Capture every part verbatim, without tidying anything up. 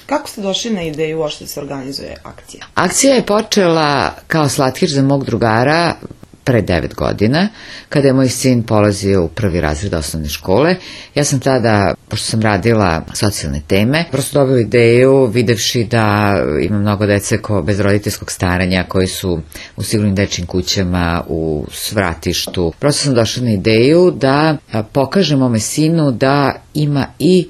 Kako ste došli na ideju uopšte da se organizuje akcija? Akcija je počela kao slatkiš za mog drugara pre devet godina, kada je moj sin polazio u prvi razred osnovne škole. Ja sam tada, pošto sam radila socijalne teme, prosto dobila ideju, videvši da ima mnogo dece ko bez roditeljskog staranja, koji su u sigurnim dečjim kućama, u svratištu. Prosto sam došla na ideju da pokažem mome sinu da ima i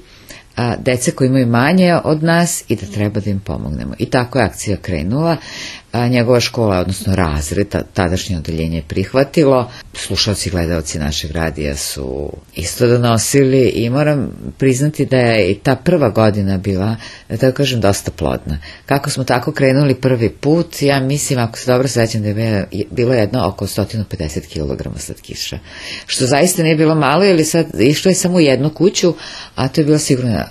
a, dece koji imaju manje od nas i da treba da im pomognemo. I tako je akcija krenula. A, njegova škola, odnosno razred, tadašnje odeljenje je prihvatilo. Slušalci i gledalci našeg radija su isto donosili i moram priznati da je i ta prva godina bila, da tako kažem, dosta plodna. Kako smo tako krenuli prvi put, ja mislim, ako se dobro sećam, da je bilo jedno oko sto pedeset kilograma slatkiša. Što zaista nije bilo malo, jer sad išlo je samo u jednu kuću, a to je bila sigurno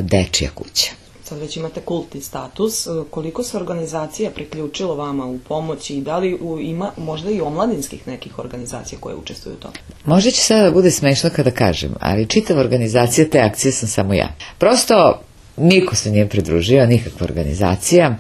dečija kuća. Sad već imate kultni status, koliko se organizacija priključilo vama u pomoći i da li ima možda i omladinskih nekih organizacija koje učestvuju u tome? Možda će sada da bude smešno kada kažem, ali čitava organizacija te akcije sam samo ja. Prosto niko se nije pridružio, nikakva organizacija.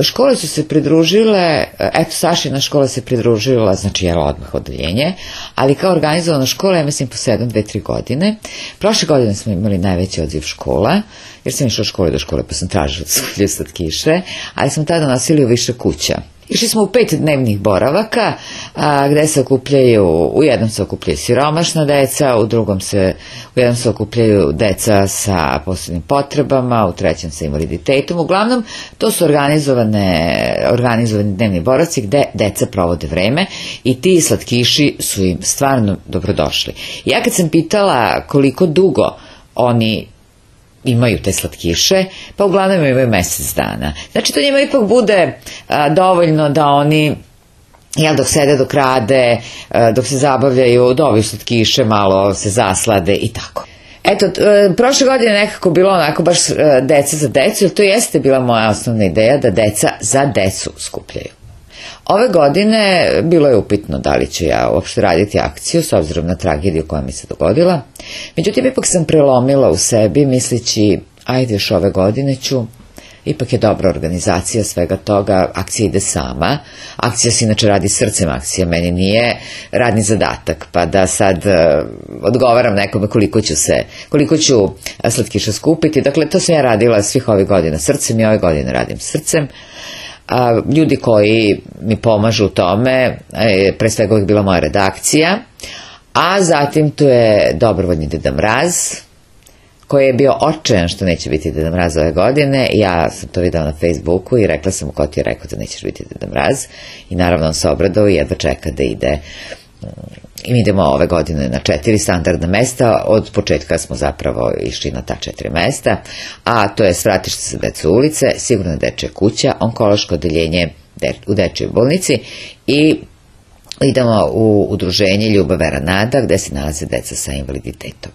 Škole su se pridružile, eto Sašina škola se pridružila, znači jela odmah odeljenje, ali kao organizovana škola, ja mislim po sedam, dve, tri godine. Prošle godine smo imali najveći odziv škola, jer sam išla od škole do škole, pa sam tražila slatkiše, ali smo tada nosili u više kuća. Išli smo u pet dnevnih boravaka, a, gde se okupljaju, u jednom se okupljaju siromašna deca, u drugom se, u jednom se okupljaju deca sa posebnim potrebama, u trećem sa invaliditetom. Uglavnom, to su organizovane, organizovani dnevni boravci gde deca provode vreme i ti slatkiši su im stvarno dobrodošli. Ja kad sam pitala koliko dugo oni imaju te slatkiše, pa uglavnom imaju mesec dana. Znači to njima ipak bude a, dovoljno da oni, jel, dok sede, dok rade, a, dok se zabavljaju, dobiju slatkiše, malo se zaslade i tako. Eto, prošle godine nekako bilo onako baš deca za decu, jer to jeste bila moja osnovna ideja da deca za decu skupljaju. Ove godine bilo je upitno da li ću ja uopšte raditi akciju s obzirom na tragediju koja mi se dogodila. Međutim, ipak sam prelomila u sebi misleći, ajde još ove godine ću, ipak je dobra organizacija svega toga, akcija ide sama, akcija se inače radi srcem, akcija meni nije radni zadatak, pa da sad uh, odgovaram nekome koliko ću se, koliko ću slatkiša skupiti. Dakle, to sam ja radila svih ovih godina srcem i ove godine radim srcem. A, ljudi koji mi pomažu u tome, pre svega uvijek bila moja redakcija, a zatim tu je dobrovoljni Deda Mraz, koji je bio očajan što neće biti Deda Mraz ove godine. Ja sam to videla na Facebooku i rekla sam mu ko ti je rekao da nećeš biti Deda Mraz, i naravno on se obradao i jedva čeka da ide. I mi idemo ove godine na četiri standardna mesta, od početka smo zapravo išli na ta četiri mesta, a to je svratište za decu ulice, sigurna dečja kuća, onkološko odeljenje u dečjoj bolnici i idemo u udruženje Ljubav, vera, nada, gde se nalaze deca sa invaliditetom.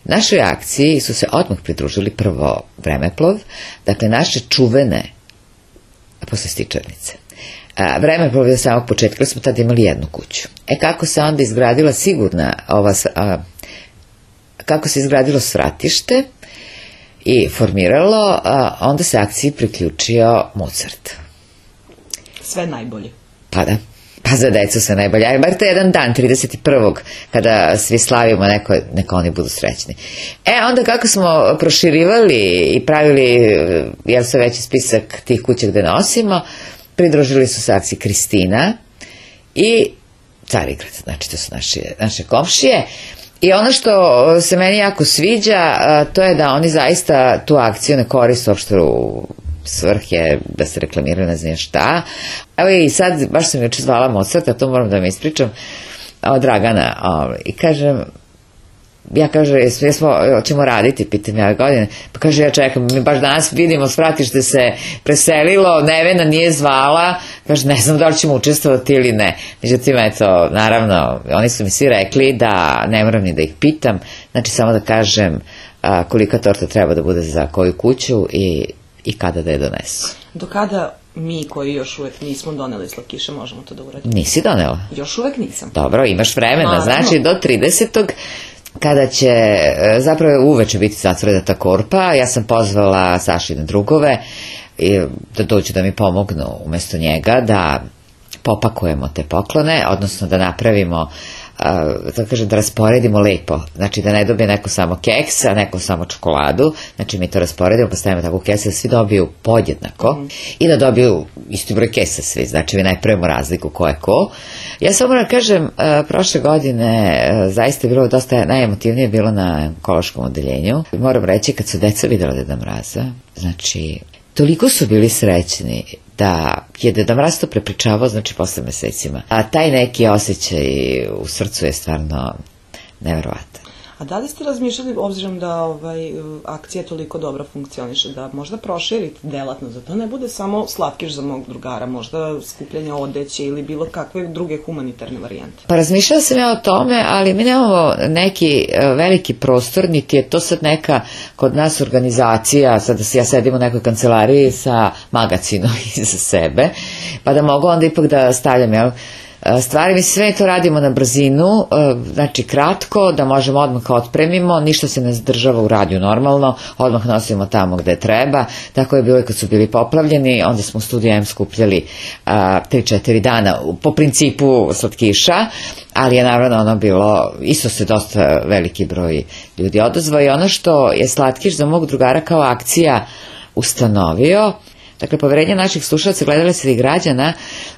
Našoj akciji su se odmah pridružili prvo Vremeplov, dakle naše čuvene poslastičarnice. Vremeplov je od samog početka, jer smo tada imali jednu kuću. E kako se onda izgradila sigurna ova, a, kako se izgradilo svratište i formiralo, a, onda se akciji priključio Mozart. Sve najbolje. Pa da. Pa za decu sve najbolje. Ajde, bar to je jedan dan, trideset prvog kada svi slavimo, neko, neka oni budu srećni. E, onda kako smo proširivali i pravili, jel se veći spisak tih kuća gde nosimo, pridružili su se akciji Kristina i Carigrad, znači to su naše, naše komšije. I ono što se meni jako sviđa, to je da oni zaista tu akciju ne koriste uopšte u svrhe da se reklamiraju, ne znam šta. Evo i sad, baš sam juče zvala Mozarta, to moram da mi ispričam, od Dragana, i kažem, ja kaže, jesmo, ćemo raditi, pitam ja godine, pa kaže, ja čekam, mi baš danas vidimo, svratište se preselilo, Nevena nije zvala, kaže, ne znam da li ćemo učestvovati ili ne. Međutim, eto, naravno, oni su mi svi rekli da ne moram ni da ih pitam, znači samo da kažem a, kolika torta treba da bude za koju kuću i, i kada da je donesu. Do kada mi koji još uvek nismo doneli slatkiše možemo to da uradimo? Nisi donela? Još uvek nisam. Dobro, imaš vremena, znači do tridesetog kada će zapravo uveče biti zatvorena ta korpa. Ja sam pozvala Sašine drugove da dođu da mi pomognu umesto njega da popakujemo te poklone, odnosno da napravimo, da kažem, da rasporedimo lepo, znači da ne dobije neko samo keks, a neko samo čokoladu, znači mi to rasporedimo, postavimo tako kese da svi dobiju podjednako mm. i da dobiju isti broj kesa svi, znači mi ne pravimo razliku ko je ko. Ja samo moram kažem, prošle godine zaista je bilo dosta, najemotivnije bilo na onkološkom odeljenju. Moram reći, kad su deca videla Deda Mraza, znači toliko su bili srećni da je Deda Mraz to prepričavao, znači posle mesecima. A taj neki osjećaj u srcu je stvarno neverovatan. A da li ste razmišljali, obzirom da ovaj, akcija toliko dobro funkcioniše, da možda proširite delatnost, da to ne bude samo slatkiš za mog drugara, možda skupljanje odeće ili bilo kakve druge humanitarne varijante? Pa razmišljala sam ja o tome, ali mi nemamo neki veliki prostor, niti je to sad neka kod nas organizacija, sad ja sedim u nekoj kancelariji sa magacinom iza sebe, pa da mogu onda ipak da stavljam, jel, stvari, mi sve to radimo na brzinu, znači kratko, da možemo odmah otpremimo, ništa se ne zadržava u radiju normalno, odmah nosimo tamo gde treba, tako je bilo i kad su bili poplavljeni, onda smo u Studiju M skupljali tri četiri dana po principu slatkiša, ali je naravno ono bilo, isto se dosta veliki broj ljudi odazvao i ono što je Slatkiš za mog drugara kao akcija ustanovio, dakle, poverenje naših slušalaca, gledalaca i građana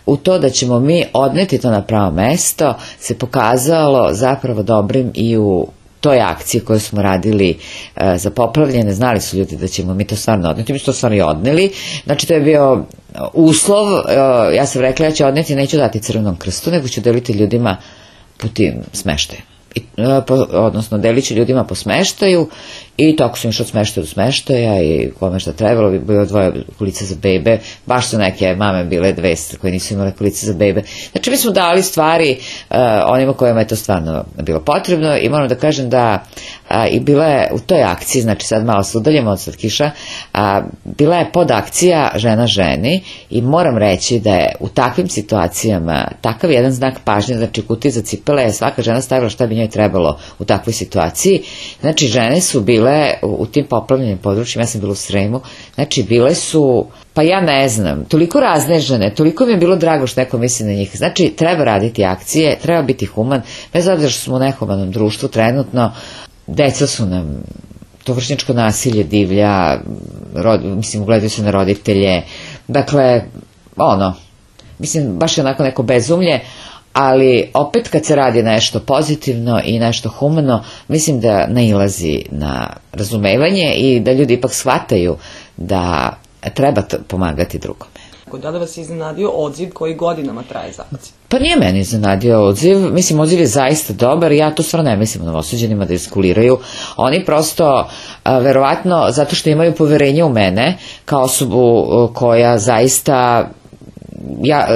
u to da ćemo mi odneti to na pravo mesto se pokazalo zapravo dobrim i u toj akciji koju smo radili e, za poplavljene. Znali su ljudi da ćemo mi to stvarno odneti, mi smo to stvarno i odneli. Znači, to je bio uslov, e, ja sam rekla, ja ću odneti, neću dati Crvenom krstu, nego ću deliti ljudima po tim smeštajima. I, po, odnosno delit ću ljudima po smeštaju i tako sam išla od smeštaja do smeštaja i kome šta trebalo, bi bilo dvoje kolica za bebe, baš su neke mame bile dve koje nisu imale kolice za bebe. Znači mi smo dali stvari uh, onima kojima je to stvarno bilo potrebno i moram da kažem da uh, i bila je u toj akciji, znači sad malo se udaljemo od Slatkiša, uh, bila je podakcija Žena ženi i moram reći da je u takvim situacijama takav jedan znak pažnje, znači kutije za cipele je svaka žena stavila šta bi njoj trebalo u takvoj situaciji. Znači žene su bile u tim poplavljenim područjima, ja sam bila u Sremu, znači bile su, pa ja ne znam, toliko razne žene, toliko mi je bilo drago što neko misli na njih. Znači treba raditi akcije, treba biti human, bez obzira što smo u nehumanom društvu trenutno, deca su nam, to vršnjačko nasilje divlja, rod, mislim, ugledaju se na roditelje, dakle, ono, mislim, baš je onako neko bezumlje, ali opet kad se radi nešto pozitivno i nešto humano, mislim da nailazi na razumevanje i da ljudi ipak shvataju da treba pomagati drugome. Da li vas je iznenadio odziv koji godinama traje za akciju? Pa nije meni iznenadio odziv, mislim odziv je zaista dobar, ja to stvarno ne mislim novosuđenima da iskuliraju, oni prosto a, verovatno zato što imaju poverenje u mene kao osobu koja zaista Ja,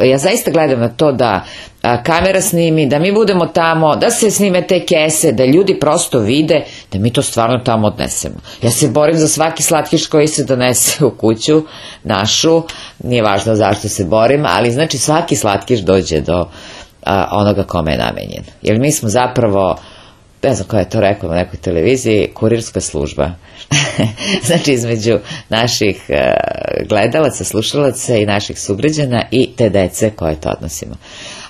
ja zaista gledam na to da a, kamera snimi, da mi budemo tamo, da se snime te kese, da ljudi prosto vide da mi to stvarno tamo odnesemo. Ja se borim za svaki slatkiš koji se donese u kuću našu, nije važno zašto se borim, ali znači svaki slatkiš dođe do a, onoga kome je namenjen. Jer mi smo zapravo, ne znam ko je to rekao na nekoj televiziji, kurirska služba. Znači između naših uh, gledalaca, slušalaca i naših sugrađana i te dece koje to odnosimo.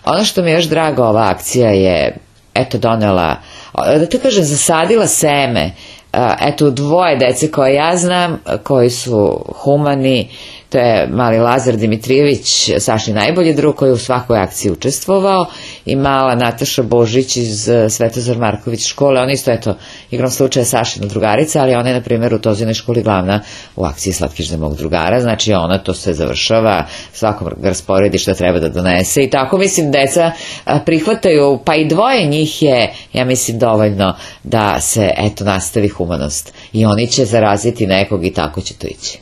Ono što mi je još drago, ova akcija je eto donela, da te kažem, zasadila seme, uh, eto dvoje dece koje ja znam, koji su humani, to je mali Lazar Dimitrijević, Saši najbolji drug koji je u svakoj akciji učestvovao i mala Nataša Božić iz Svetozar Marković škole, ona isto eto igrom slučaja Sašina drugarica, ali ona je na primjer u Tozinoj školi glavna u akciji Slatkiš za mog drugara, znači ona to sve završava, svakom ga rasporedi šta treba da donese i tako mislim deca prihvataju, pa i dvoje njih je, ja mislim, dovoljno da se eto nastavi humanost i oni će zaraziti nekog i tako će to ići.